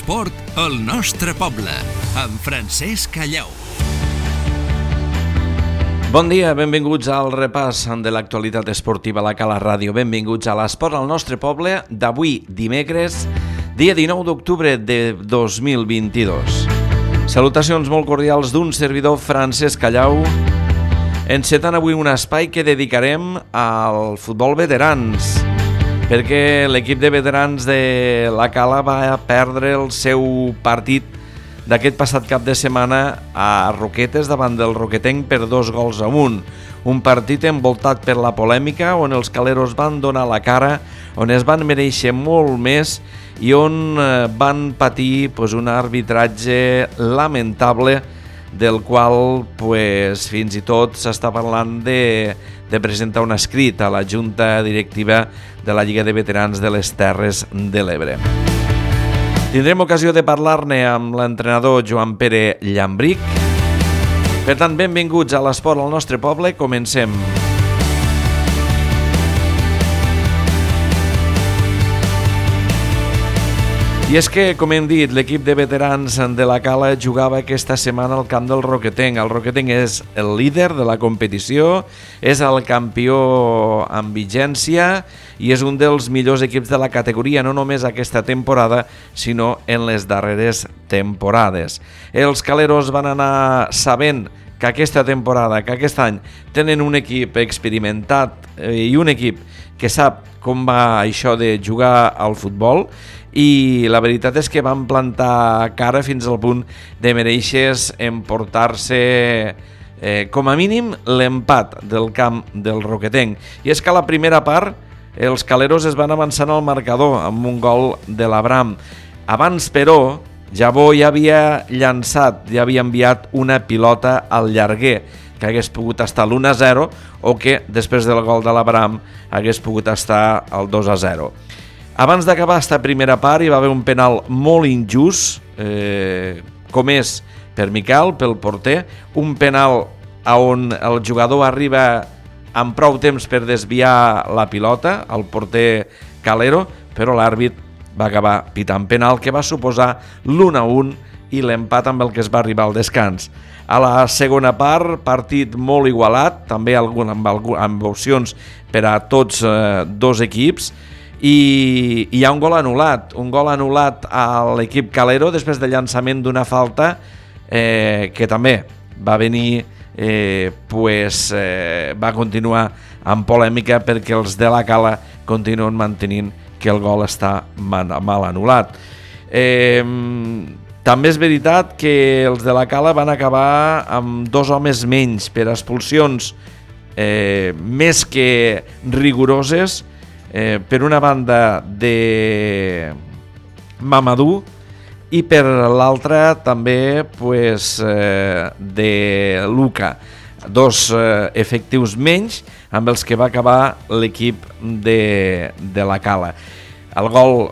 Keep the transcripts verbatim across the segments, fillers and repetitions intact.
L'esport al nostre poble, amb Francesc Callau. Bon dia, benvinguts al repàs de l'actualitat esportiva a la Cala Ràdio. Benvinguts a l'esport al nostre poble d'avui, dimecres, dia dinou d'octubre de dos mil vint-i-dos. Salutacions molt cordials d'un servidor, Francesc Callau, encetant avui un espai que dedicarem al futbol veterans, perquè l'equip de veterans de la Cala va perdre el seu partit d'aquest passat cap de setmana a Roquetes davant del Roquetenc per dos gols a un. Un partit envoltat per la polèmica on els caleros van donar la cara, on es van mereixer molt més i on van patir pues, un arbitratge lamentable del qual pues, fins i tot s'està parlant de, de presentar un escrit a la Junta Directiva de la Lliga de Veterans de les Terres de l'Ebre. Tindrem ocasió de parlar-ne amb l'entrenador Joan Pere Llambric. Per tant, benvinguts a l'esport al nostre poble. Comencem. I és que, com hem dit, l'equip de veterans de la Cala jugava aquesta setmana al camp del Roquetenc. El Roquetenc és el líder de la competició, és el campió amb vigència i és un dels millors equips de la categoria, no només aquesta temporada, sinó en les darreres temporades. Els caleros van anar sabent que aquesta temporada, que aquest any, tenen un equip experimentat i un equip que sap com va això de jugar al futbol, i la veritat és que van plantar cara fins al punt de mereixer emportar-se eh, com a mínim l'empat del camp del Roquetenc. I és que a la primera part els caleros es van avançant al marcador amb un gol de l'Abram. Abans, però, Jabó ja havia llançat, ja havia enviat una pilota al llarguer que hagués pogut estar l'u a zero o que després del gol de l'Abram hagués pogut estar el dos a zero. Abans d'acabar aquesta primera part hi va haver un penal molt injust, eh, com és per Miquel, pel porter, un penal on el jugador arriba amb prou temps per desviar la pilota, el porter calero, però l'àrbit va acabar pitant penal que va suposar l'u a un i l'empat amb el que es va arribar al descans. A la segona part, partit molt igualat, també algun, amb, amb opcions per a tots eh, dos equips, i hi ha un gol anul·lat, un gol anul·lat a l'equip calero després del llançament d'una falta eh, que també va venir, eh, pues, eh, va continuar amb polèmica perquè els de la Cala continuen mantenint que el gol està mal, mal anul·lat. Eh, també és veritat que els de la Cala van acabar amb dos homes menys per expulsions eh, més que rigoroses, Eh, per una banda de Mamadou i per l'altra també pues, eh, de Luca, dos eh, efectius menys amb els que va acabar l'equip de, de la Cala. El gol,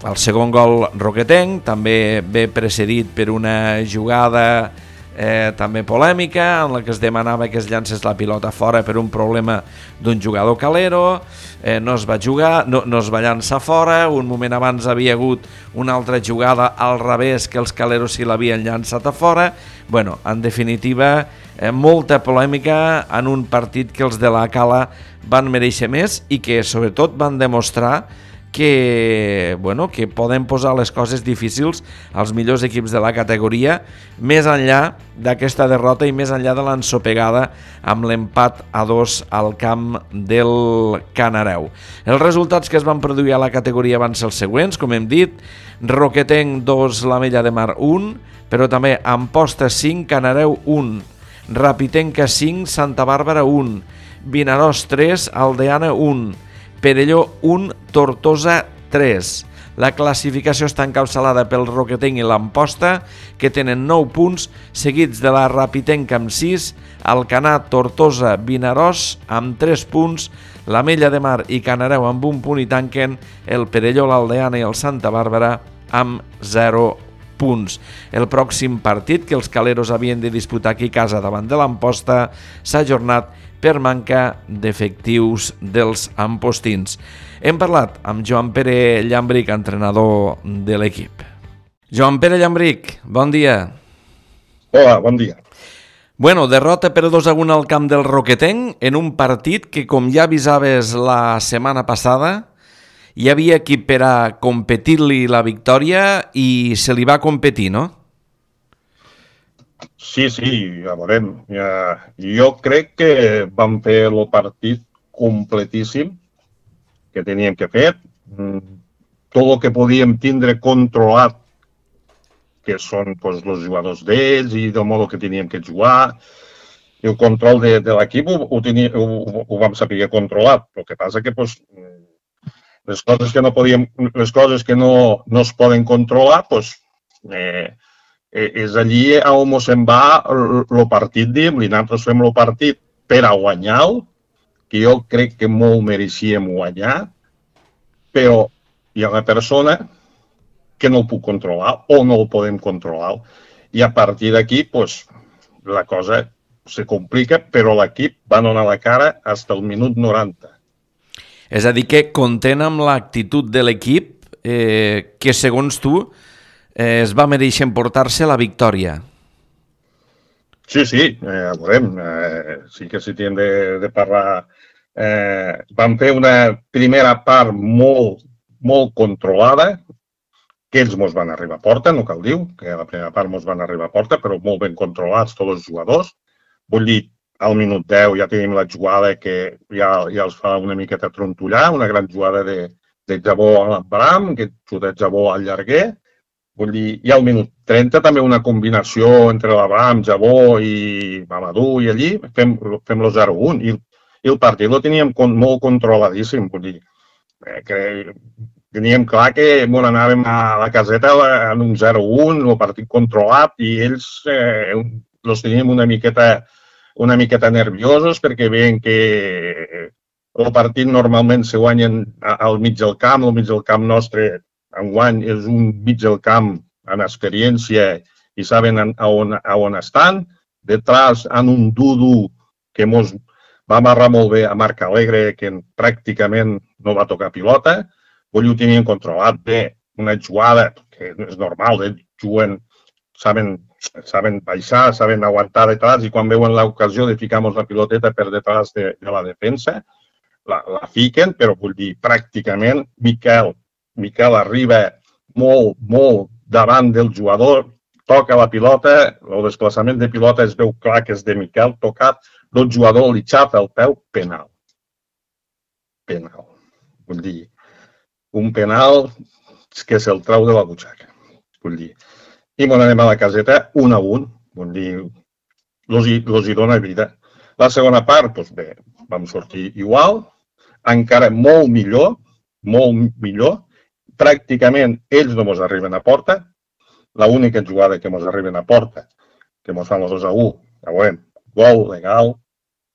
el segon gol roquetenc, també ve precedit per una jugada Eh, també polèmica en la que es demanava que es llancés la pilota fora per un problema d'un jugador calero, eh, no es va jugar, no, no es va llançar fora. Un moment abans havia hagut una altra jugada al revés que els caleros sí l'havien llançat a fora. Bueno, en definitiva, eh, molta polèmica en un partit que els de la Cala van mereixer més i que sobretot van demostrar que, bueno, que poden posar les coses difícils als millors equips de la categoria, més enllà d'aquesta derrota i més enllà de l'ensopegada amb l'empat a dos al camp del Canareu. Els resultats que es van produir a la categoria van ser els següents, com hem dit: Roquetenc dos, l'Ametlla de Mar un, però també Amposta cinc, Canareu un, Rapitenca cinc, Santa Bàrbara un, Vinaròs tres, Aldeana un, Perelló un, Tortosa tres. La classificació està encapçalada pel Roquetenc i l'Amposta, que tenen nou punts, seguits de la Rapitenca amb sis, Alcanar, Tortosa, Vinaròs amb tres punts, l'Ametlla de Mar i Canareu amb un punt i tanquen el Perelló, l'Aldeana i el Santa Bàrbara amb zero punts. El pròxim partit que els caleros havien de disputar aquí a casa davant de l'Amposta s'ha ajornat per manca d'efectius dels ampostins. Hem parlat amb Joan Pere Llambric, entrenador de l'equip. Joan Pere Llambric, bon dia. Hola, bon dia. Bueno, derrota per dos a un al camp del Roquetenc en un partit que, com ja avisaves la setmana passada, hi havia equip per a competir-li la victòria i se li va competir, no? Sí, sí, ja veurem. Ja, jo crec que vam fer el partit completíssim que teníem que fer. Tot el que podíem tindre controlat, que són pues, els jugadors d'ells i del modo que teníem que jugar. El control de, de l'equip ho, ho, ho, ho vam saber controlat. El que passa que pues, les coses que no podíem, les coses que no, no es poden controlar, pues, eh, és allí on se'n va el partit, diguem-li. Nosaltres fem el partit per a guanyar-lo, que jo crec que molt mereixíem guanyar, però hi ha una persona que no el puc controlar o no el podem controlar. I a partir d'aquí, pues, la cosa se complica, però l'equip va donar la cara fins al minut noranta. És a dir, que content amb l'actitud de l'equip, eh, que segons tu eh, es va mereixer emportar-se la victòria. Sí, sí, eh, veurem. Eh, sí que s'hi tenen de, de parlar. Eh, vam fer una primera part molt, molt controlada, que ells mos van arribar a porta, no cal dir, que la primera part mos van arribar a porta, però molt ben controlats tots els jugadors. Vull dir, al minut deu ja tenim la jugada que ja, ja els fa una miqueta trontollar, una gran jugada de, de Jabó a l'Abram, que xuta Jabó al llarguer. Vull dir, i al minut trenta també una combinació entre l'Abram, Jabó i Mamadou i allí, fem, fem el zero a un. I, i el partit el teníem con, molt controladíssim, vull dir, eh, que teníem clar que bueno, anàvem a la caseta en un zero a un, el partit controlat, i ells eh, els teníem una miqueta, una miqueta nerviosos perquè veien que el partit normalment se guanyen al mig del camp, al mig del camp nostre enguany és un mig del camp amb experiència i saben a on, a on estan. Detrás en un Dudu que mos va amarrar molt bé a Marc Alegre, que pràcticament no va tocar pilota. Vull ho tenien controlat bé, una jugada que és normal, ells juguen, saben, saben baixar, saben aguantar detrás, i quan veuen l'ocasió de ficar-nos la piloteta per detrás de, de la defensa, la, la fiquen, però vull dir, pràcticament, Miquel, Miquel arriba molt, molt davant del jugador, toca la pilota, el desplaçament de pilota es veu clar que és de Miquel, tocat, el jugador li xafa el peu, penal. Penal. Vull dir, un penal que se'l trau de la butxaca, vull dir. I bon, anem a la caseta, un a un, vull dir, els hi, los hi dona vida. La segona part, doncs bé, vam sortir igual, encara molt millor, molt millor, pràcticament ells no mos arriben a porta, l'única jugada que mos arriben a porta, que mos fan el dos a u, ja veurem, gol legal,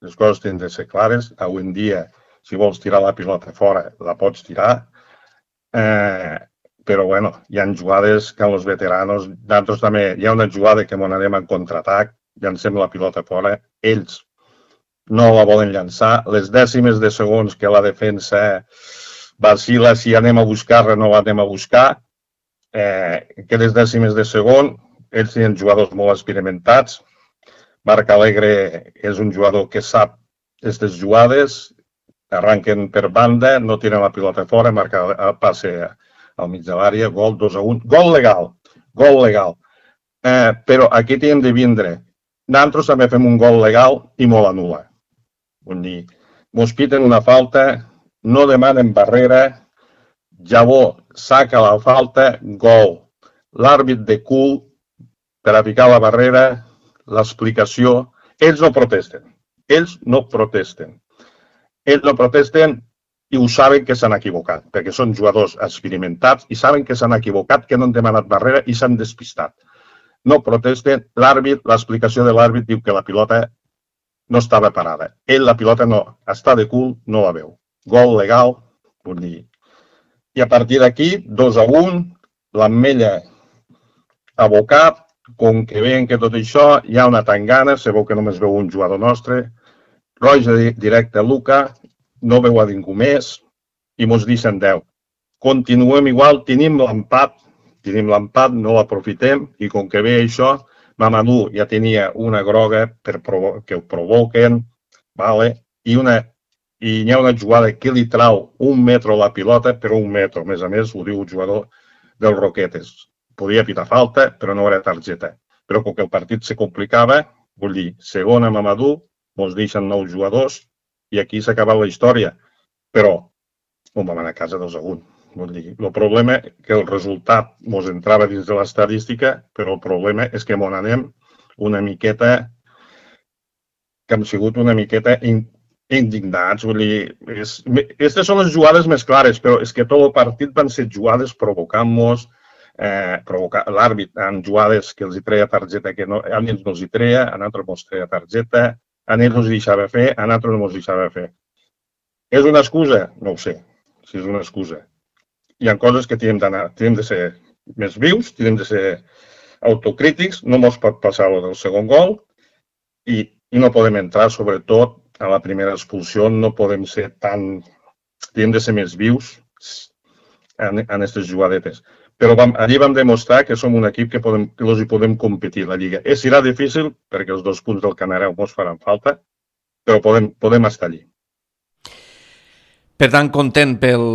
les coses tenen de ser clares, avui en dia, si vols tirar la pilota fora, la pots tirar, Eh, però bueno, hi ha jugades que els veteranos, nosaltres també, hi ha una jugada que m'on anem en contraatac, llancem la pilota fora, ells no la volen llançar, les dècimes de segons que la defensa vacila, si anem a buscar-la no la anem a buscar, eh, aquelles dècimes de segon, ells tenen jugadors molt experimentats, Marc Alegre és un jugador que sap aquestes jugades, arranquen per banda, no tiren la pilota fora, marca el passe al mig de l'àrea, gol dos a un, gol legal, gol legal. Eh, però aquí tenim de vindre. Nosaltres també fem un gol legal i molt anul·la. Vull dir, mos piten una falta, no demanen barrera, Jabó saca la falta, gol. L'àrbit de cul per a picar la barrera, l'explicació, ells no protesten, ells no protesten. Ells no protesten i ho saben que s'han equivocat, perquè són jugadors experimentats i saben que s'han equivocat, que no han demanat barrera i s'han despistat. No protesten, l'àrbit, l'explicació de l'àrbit diu que la pilota no estava parada. Ell la pilota no, està de cul, no la veu. Gol legal, vull dir. I a partir d'aquí, dos a un, l'Ametlla abocat, com que veien que tot això hi ha una tangana, se veu que només veu un jugador nostre, roja directe a Luca, no veu a ningú més i mos deixen deu. Continuem igual, tenim l'empat, tenim l'empat, no l'aprofitem, i com que ve això, Mamadou ja tenia una groga per provo que ho provoquen, vale? I, una, i hi ha una jugada que li trau un metro la pilota, però un metro, a més a més, ho diu el jugador del Roquetes. Podia pitar falta, però no era targeta. Però com que el partit se complicava, vull dir, segona Mamadou, ens deixen nou jugadors, i aquí s'ha acabat la història. Però on vam anar a casa dos a un. Vull dir, el problema és que el resultat ens entrava dins de l'estadística, però el problema és que ens anem una miqueta, que hem sigut una miqueta indignats. Vull dir, aquestes són les jugades més clares, però és que tot el partit van ser jugades provocant-nos, eh, provocar l'àrbit en jugades que els hi treia targeta, que no, a ells no els hi treia, a nosaltres no els treia targeta, a ells no els deixava fer, a nosaltres no els deixava fer. És una excusa? No ho sé, si és una excusa. Hi ha coses que tenim d'anar, tenim de ser més vius, tenim de ser autocrítics, no ens pot passar el del segon gol i, i no podem entrar, sobretot, a la primera expulsió, no podem ser tan... Tenim de ser més vius en aquestes jugadetes. Però vam, allí vam demostrar que som un equip que, podem, que els hi podem competir a la Lliga. És, serà difícil, perquè els dos punts del Canareu ens faran falta, però podem, podem estar allí. Per tant, content pel,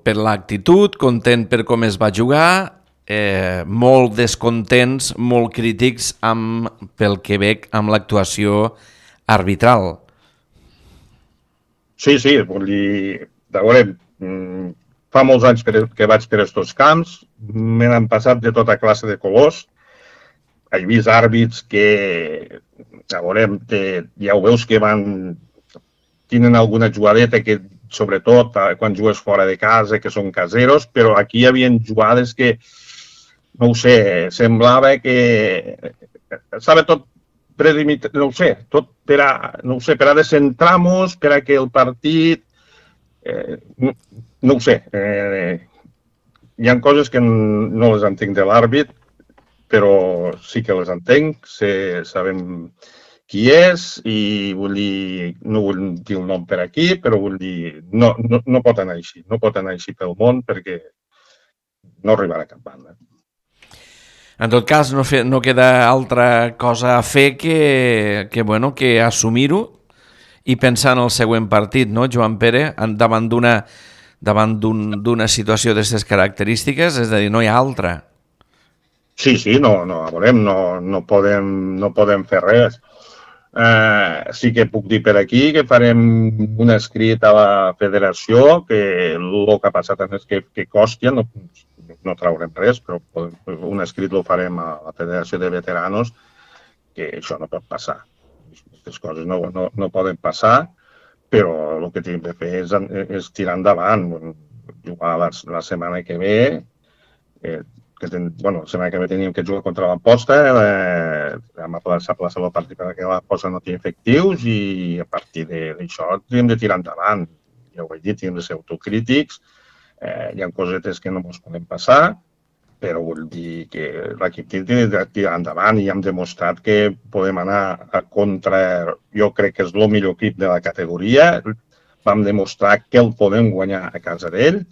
per l'actitud, content per com es va jugar, eh, molt descontents, molt crítics amb, pel que veig amb l'actuació arbitral. Sí, sí, vull dir, veurem, fa molts anys que vaig per aquests camps, me n'han passat de tota classe de colors, he vist àrbits que, veurem, te, ja ho veus que van, tenen alguna jugadeta que sobretot quan jugues fora de casa, que són caseros, però aquí hi havia jugades que, no ho sé, semblava que estava tot predimitat, no ho sé, tot per a, no ho sé, per a descentrar-nos, per a que el partit, eh, no, no ho sé, eh, hi ha coses que no les entenc de l'àrbit, però sí que les entenc, sé, sabem qui és, i vull dir, no vull dir el nom per aquí, però vull dir, no, no, no pot anar així, no pot anar així pel món perquè no arribarà a cap banda. En tot cas, no, fe, no queda altra cosa a fer que, que, bueno, que assumir-ho i pensar en el següent partit, no, Joan Pere, davant d'una davant d'una situació d'aquestes característiques, és a dir, no hi ha altra. Sí, sí, no, no, veurem, no, no, podem, no podem fer res. Uh, sí que puc dir per aquí que farem un escrit a la federació que el que ha passat és que, que Còstia, no, no traurem res, però un escrit el farem a la federació de veteranos, que això no pot passar. Aquestes coses no, no, no poden passar, però el que tenim de fer és, és tirar endavant, jugar la, la setmana que ve, eh, que ten, bueno, la setmana que ve teníem que jugar contra l'Amposta, eh, vam aplaçar el partit perquè l'Amposta no té efectius i a partir d'això tenim de tirar endavant. Ja ho he dit, tenim de ser autocrítics, eh, hi ha cosetes que no ens poden passar, però vull dir que l'equip té de tirar endavant i hem demostrat que podem anar a contra, jo crec que és el millor equip de la categoria, vam demostrar que el podem guanyar a casa d'ell,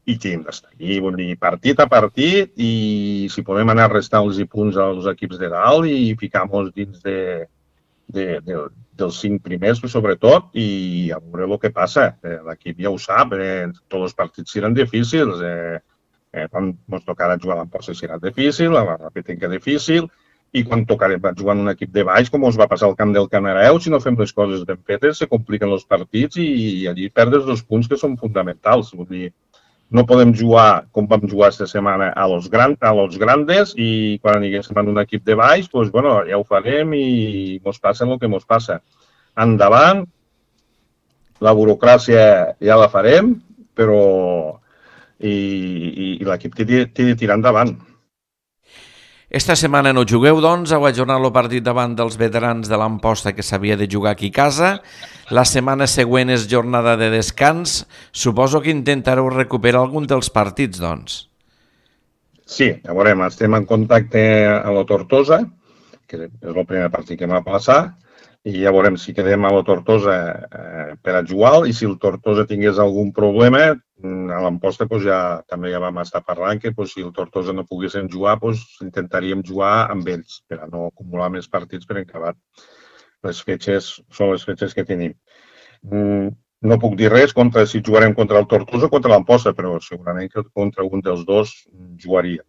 i tenim d'estar aquí, vull dir, partit a partit, i si podem anar restant-los punts als equips de dalt i ficar-nos dins de, de, de, dels cinc primers, sobretot, i a veure el que passa. Eh, L'equip ja ho sap, eh, tots els partits seran difícils, eh, eh, quan ens tocarà jugar a l'Amposta serà difícil, a la Rapetenca difícil, i quan tocarem jugar en un equip de baix, com ens va passar al camp del Canareu, si no fem les coses ben fetes, se compliquen els partits i, i allí perdes dos punts que són fonamentals. Vull dir, no podem jugar com vam jugar aquesta setmana a los, gran, a los grandes i quan aniguéssim en un equip de baix, doncs, bueno, ja ho farem i mos passa el que mos passa. Endavant, la burocràcia ja la farem, però i, i, i l'equip té de tirar endavant. Esta setmana no jugueu, doncs, heu ajornat el partit davant dels veterans de l'Amposta que s'havia de jugar aquí a casa. La setmana següent és jornada de descans. Suposo que intentareu recuperar algun dels partits, doncs. Sí, ja veurem. Estem en contacte amb la Tortosa, que és el primer partit que m'ha passat, i ja veurem si quedem a la Tortosa eh, per a jugar, i si el Tortosa tingués algun problema, a l'Amposta pues, ja, també ja vam estar parlant que pues, si el Tortosa no poguessin jugar, pues, intentaríem jugar amb ells per a no acumular més partits per acabar. Les fetges són les fetges que tenim. Mm, no puc dir res contra si jugarem contra el Tortosa o contra l'Amposta, però segurament que contra un dels dos jugaríem.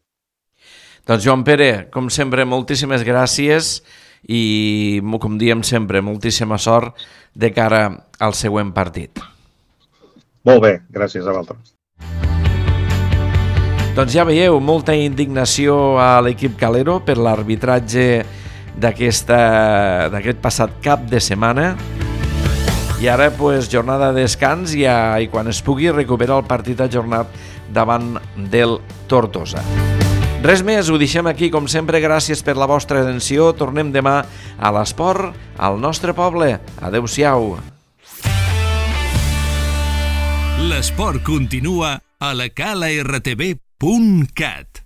Doncs Joan Pere, com sempre, moltíssimes gràcies i, com diem sempre, moltíssima sort de cara al següent partit. Molt bé, gràcies a vosaltres. Doncs ja veieu, molta indignació a l'equip Calero per l'arbitratge d'aquest passat cap de setmana. I ara, pues, jornada de descans i, a, i quan es pugui recuperar el partit ajornat davant del Tortosa. Res més, ho deixem aquí, com sempre, gràcies per la vostra atenció. Tornem demà a l'esport, al nostre poble. Adéu-siau. L'esport continua a la cala r t v punt cat.